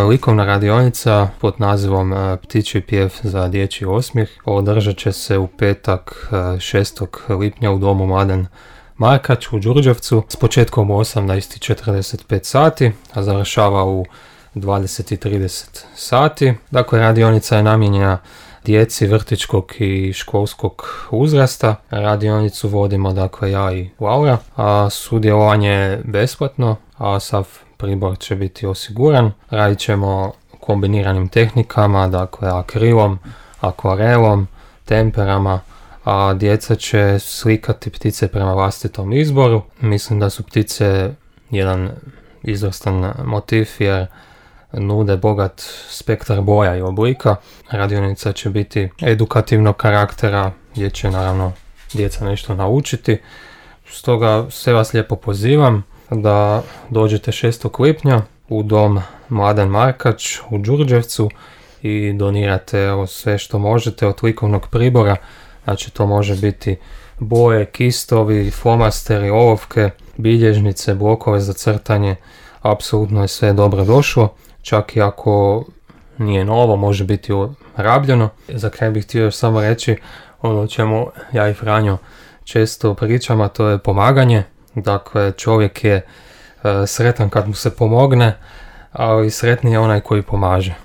likovna radionica pod nazivom Ptičji pjev za dječji osmijeh održat će se u petak 6. lipnja u domu Mladen Markač u Đurđevcu s početkom u 18:45 sati, a završava u 20:30 sati. Dakle, radionica je namijenjena djeci vrtićkog i školskog uzrasta. Radionicu vodimo dakle ja i Laura, a sudjelovanje je besplatno, a sav pribor će biti osiguran. Radit ćemo kombiniranim tehnikama, dakle akrilom, akvarelom, temperama, a djeca će slikati ptice prema vlastitom izboru. Mislim da su ptice jedan izvrstan motiv jer nude bogat spektar boja i oblika. Radionica će biti edukativnog karaktera gdje će naravno djeca nešto naučiti. Stoga sve vas lijepo pozivam da dođete 6. lipnja u dom Mladen Markač u Đurđevcu i donirate sve što možete od likovnog pribora. Znači to može biti boje, kistovi, flomasteri, olovke, bilježnice, blokove za crtanje. Apsolutno je sve dobro došlo. Čak i ako nije novo, može biti rabljeno. Za kraj bih htio još samo reći ono o čemu ja i Franjo često pričam, a to je pomaganje. Dakle, čovjek je sretan kad mu se pomogne, ali sretniji je onaj koji pomaže.